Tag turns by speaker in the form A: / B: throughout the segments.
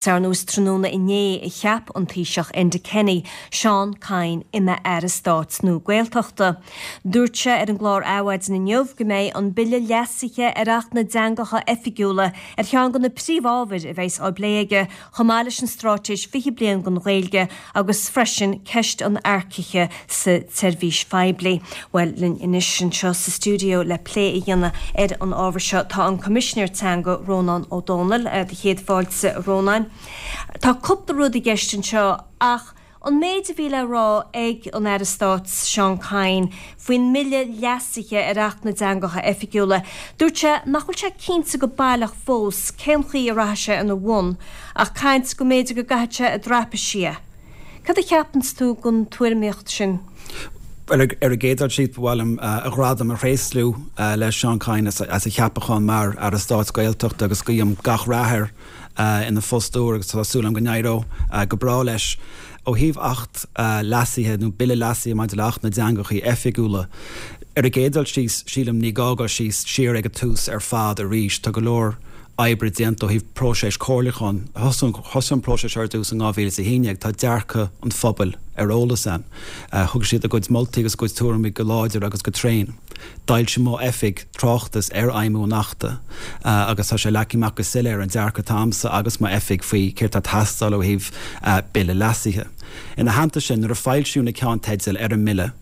A: Ar ndóigh is tráthnóna inné a cheap an Taoiseach Enda Kenny Seán Kyne ina Aire Stáit nua Gaeltachta. Dúirt sé ar an gclár Adhmhaidin inniu go mbeidh an bille leasaithe ar Acht na dTeangacha Oifigiúla ar cheann de na príomhábhair a bheas á bplé aige chomh maith leis an Straitéis 20 Bliain don Ghaeilge agus freisin ceist an earcaithe sa tseirbhís phoiblí. Bhuel, linn anois anseo sa stiúideo le plé a dhéanamh ar an ábhar seo tá an Coimisinéir Teanga, Rónán Ó Domhnaill. Do chéad fáilte, a Rónáin. Tá cúpla rud i gceist anseo ach an méid a bhí le rá ag an Aire Stáit Seán Kyne faoin mbille leasaithe ar Acht na dTeangacha Oifigiúla, dúirt sé nach bhfuil sé cinnte go baileach fós cén chaoi a rachaidh sé ina bhun ach caint go mb'fhéidir go gcaithfidh sé i dtraipisí é. Cad a cheapanns tú den tuairimíocht sin?
B: Bhuel, ar an gcéad dul síos, ba mhaith liom a ghradam a thréaslú le Seán Kyne as a cheapachán mar Aire Stáit Gaeltachta agus guím gach rath air ina phost úr agus tá súil agam go n-éireoidh go breá leis. Ó thaobh Acht leasaithe nó Bille leasaithe maidir le Acht na dTeangachaí Oifigiúla, ar an gcéad dul síos, sílim, ní gá dul síos siar ag an tús ar fad arís. Tá go leor oibre déanta ó thaobh próiseas comhairliúcháin. Thosaigh an próiseas ar dtús in 2011. Tá dearcadh an phobail ar eolas ann. Thug siad a gcuid moltaí agus a gcuid tuairimí go láidir agus go tréan. D'fhoilsigh m'oifig tráchtas ar fheidhmiú an Achta agus tá sé leagtha amach go soiléir an dearcadh atá a'msa agus m'oifig faoi céard atá ag teastáil ó thaobh bille leasaithe. Ina theannta sin, nuair a foilsíodh na ceannteidil ar an mbille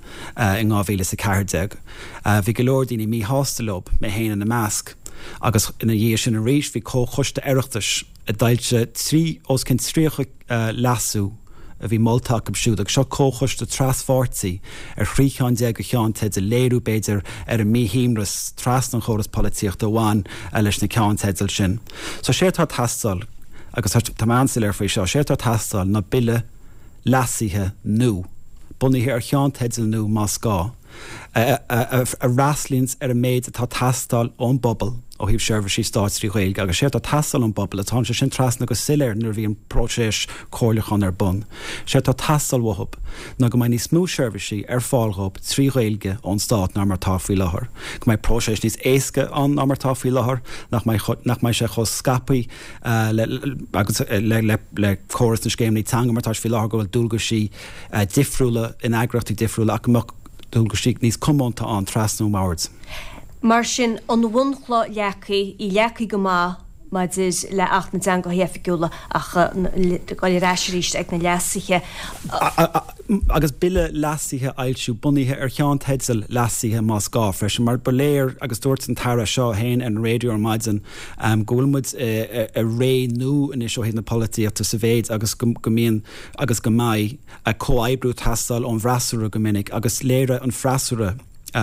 B: in 2014, bhí go leor daoine míshásta leo, mé féin ina measc, agus ina dhiaidh sin arís bhí comhchoiste Oireachtais a d'fhoilsigh os cionn 30 leasú a bhí molta acu siúd, agus seo comhchoiste traspháirtí ar thrí cheann déag de cheannteidil, léiriú, b'fhéidir, ar an míshuaimhneas trasna an chóras polaitíochta a bhain leis na ceannteidil sin. So sé atá ag teastáil, agus tá mé an-soiléir faoi seo, sé atá ag teastáil ná bille leasaithe nua, bunaithe ar cheannteidil nua más gá. a fhreastlaíonns ar an méid atá ag teastáil ón bpobal ó thaobh seirbhísí stáit trí Ghaeilge agus séard atá ag teastáil ón bpobal, agus tháinig sé sin trasna go soiléir nuair a bhí an próiseas comhairliúcháin ar bun, séard atá ag teastáil uathub ná go mbeidh níos mó seirbhísí ar fáil dhób trí Ghaeilge ón stát ná mar atá faoi láthair, go mbeidh próiseas níos éasca ann ná mar atá faoi láthair, nach mbeidh nach mbeidh sé chomh scaipthe le agus le le le córas na scéimeanna teanga mar atá sé faoi láthair go bhfuil dualgaisí difriúla in eagraíochtaí difriúla ach go mbeadh dualgaisí níos comónta ann trasna an bhoird.
A: Mar sin, an bhunchloch leagtha, í leagtha go maith maidir le Acht na dTeangacha Oifigiúla ach dul ar ais arís ag na leasuithe.
B: Agus bille leasaithe a fhoilsiú bunaithe ar cheannteidil leasaithe más gá freisin, mar ba léir, agus dúirt an tAire seo féin ar an raidió ar maidin, go bhfuil muid i ré nua anois ó thaobh na polaitíochta sa mhéid agus go mbíonn agus go mbeidh comhoibriú ag teastáil ón bhfreasúra go minic agus léirigh an freasúra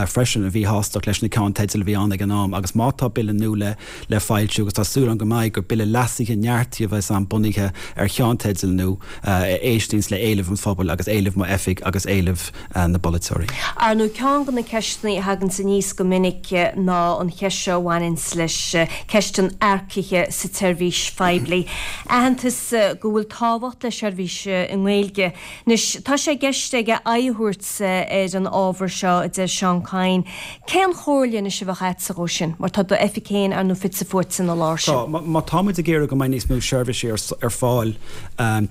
B: freisin a mhíshástacht leis na ceannteidil a bhí ann ag an am agus má tá bille nua le le foilsiú, agus tá súil agam go mbeidh, gur bille leasaithe neartaithe a bheas ann bunaithe ar cheannteidil nua a éistíonns le éilimh an phobail agus éilimh m'oifig agus éilimh na bpolaiteoirí.
A: Ar ndóigh, ceann de na ceisteanna a thaganns aníos go minic ná an cheist seo a bhaineanns leis ceist an earcaithe sa tseirbhís phoiblí. Aitheantas go bhfuil tábhacht le seirbhís i nGaeilge. Anois, tá sé i gceist aige aghaidh a thabhairt ar an ábhar seo, a deir Seán Kyne. Cén chomhairle anois a bheadh agatsa dhó sin, mar tá d'oifig féin, ar ndóigh, fite fuaite ina lár sin?
B: Tá. Má tá muid ag iarraidh go mbeidh níos mó seirbhísí ar fáil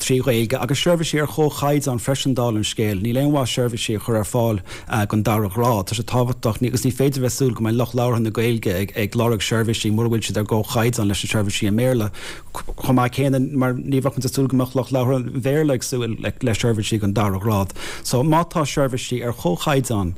B: trí Ghaeilge, agus seirbhísí ar chomhchaighdeán freisin dála an scéil, níl aon mhaith seirbhísí a chur ar fáil den dara grád. Tá sé tábhachtach, agus ní féidir a bheith ag súil go mbeidh lucht labhartha na Gaeilge ag lorg seirbhísí mura bhfuil siad ar gcomhchaighdeán leis na seirbhísí i mBéarla. Chomh maith céanna, mar ní bheadh muid ag súil go mbeadh lucht labhartha an Bhéarla ag súil le seirbhísí den dara grád. So má tá seirbhísí ar chomhchaighdeán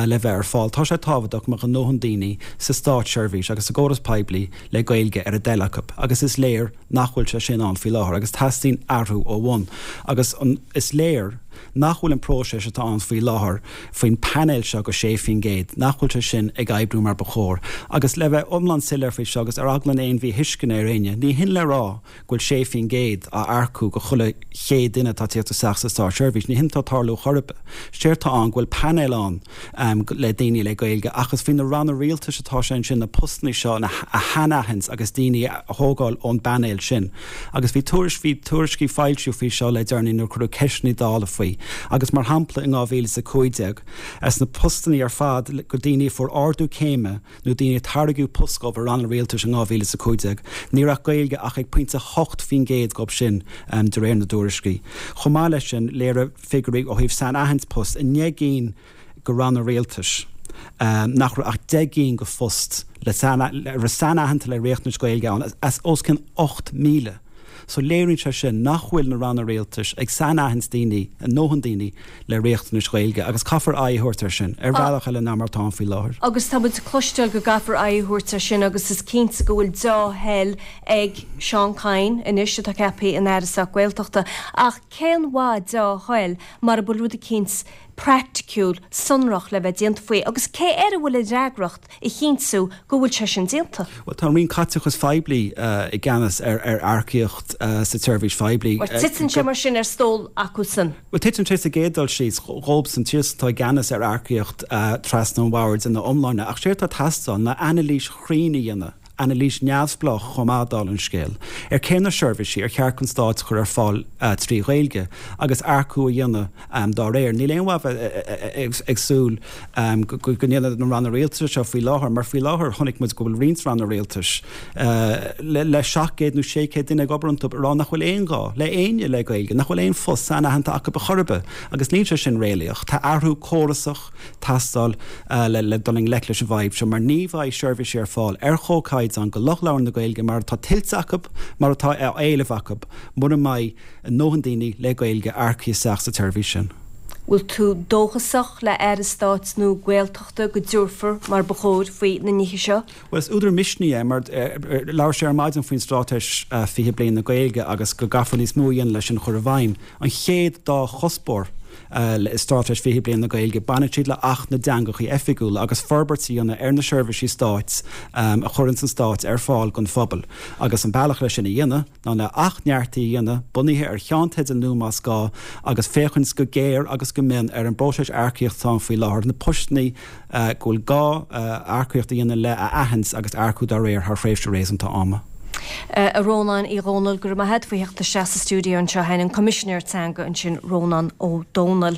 B: le bheith ar fáil, tá sé tábhachtach go mbeadh a ndóthain daoine sa státseirbhís agus sa gcóras poiblí le Gaeilge ar a dtoil acu agus is léir nach bhfuil sé sin ann faoi láthair agus teastaíonn athrú ó bhun agus is léir nach bhfuil an próiseas atá ann faoi láthair faoin bpainéal seo go 6%, nach bhfuil sé sin ag oibriú mar ba chóir. Agus le bheith iomlán soiléir faoi seo agus ar eagla aon mhíthuisceana ar éinne, ní hin le rá go bhfuil 6% á earcú go chuile chéad duine atá ag tíocht isteach sa státseirbhís. Ní hin atá ag tarlú chor ar bith. Séard atá ann go bhfuil painéal ann le daoine le Gaeilge ach is faoi na ranna rialtais atá sé ansin na postanna seo a shainaithint agus daoine a thógáil ón bpainéal sin. Agus bhí tuairisc, bhí tuairiscí foilsithe faoi seo le deireanaí nuair a cuireadh ceisteanna Dála faoi agus mar shampla in 2015, as na postanna ar fad go daoine a fuair ardú céime nó daoine a tairgeadh post dhóibh i ranna rialtais in 2015, ní raibh Gaeilge ach ag. 5.8% dhóibh sin de réir na dtuairiscí. Chomh maith leis sin, léirigh figiúirí ó thaobh sainaithint post i ndeich gcinn de ranna rialtais nach raibh ach 10 gcinn de phost le raibh sainaitheanta le riachtanais Ghaeilge ann as os cionn 8,000. So léiríonn sé sin nach bhfuil na ranna rialtais ag sainaithint daoine, a ndóthain daoine le riachtanais Ghaeilge agus caithfear aghaidh a thabhairt air sin ar bhealach eile ná mar atá ann faoi láthair.
A: Agus tá muid ag cloisteáil go gcaithfear aghaidh a thabhairt air sin agus is cinnte go bhfuil deá-thoil ag Seán Kyne anois atá ceaptha ina Aire Stáit Gaeltachta ach cén mhaith deá-thoil mara bhfuil rud eicínt praiticiúil sonrach le bheith déanta faoi agus cé air a bhfuil an fhreagracht a chinntiú go bhfuil sé sin déanta?
B: Bhuel, tá an Roinn Caiteachais Phoiblí i gceannas ar earcaíocht sa tseirbhís phoiblí.
A: Bhuel, titeann sé mar sin ar stól acusan.
B: Bhuel, titeann sé sa gcéad dul síos dhóibhsan, siadsan atá i gceannas ar earcaíocht trasna an bhoird ina iomláine. Ach séard atá ag teastáil ná anailís chruinn a dhéanamh anailís neamhspleách chomh maith, dála an scéil, ar cé na seirbhísí ar cheart don Stát a chur ar fáil trí Ghaeilge agus earcú a dhéanamh dá réir. Níl aon mhaith bheith ag súil go ndéanfaidh na ranna rialtais seo faoi láthair mar faoi láthair chonaic muid go bhfuil roinnt ranna rialtais le 700 nó 600 duine ag obair iontu ag rá nach bhfuil aon ghá le éinne le Gaeilge, nach bhfuil aon phost sainaitheanta acu a chor ar bith agus níl sé sin réalaíoch. Tá athrú córasach teastáil le dul i ngleic leis an bhfadhb seo mar ní bheidh seirbhísí ar fáil ar chomhchaighdeán do lucht labhartha na Gaeilge mar atá tuillte acu, mar atá á éileamh acu, mura mbeidh a ndóthain daoine le Gaeilge earcaithe isteach sa tseirbhís sin.
A: Bhfuil tú dóchasach le Aire Stáit nua Gaeltachta go dtabharfar mar ba chóir faoi na nithe seo?
B: Bhuel, is údar misnigh é mar labhair sé ar maidin faoin Straitéis 20 Bliain na Gaeilge agus go gcaithfear níos mó a dhéanamh leis sin a chur i bhfeidhm. An chéad dá chuspóir i Straitéis 20 Bliain na Gaeilge, baineann siad le Acht na dTeangacha Oifigiúla agus forbairt a dhéanamh ar na seirbhísí stáit a chuireanns an Stát ar fáil don phobal agus an bealach leis sin a dhéanamh ná le Acht neartaithe a dhéanamh, bunaithe ar cheannteidil nua más gá, agus féachaint go géar agus go mion ar an bpróiseas earcaíochta atá ann faoi láthair, na postanna go bhfuil gá earcaíocht a dhéanamh le a aithint agus earcú dá réir thar thréimhse réasúnta ama.
A: A Rónáin Uí Dhomhnaill, go raibh maith a't faoi theacht isteach sa stiúideo anseo. An Coimisinéir Teanga ansin, Rónán Ó Domhnaill.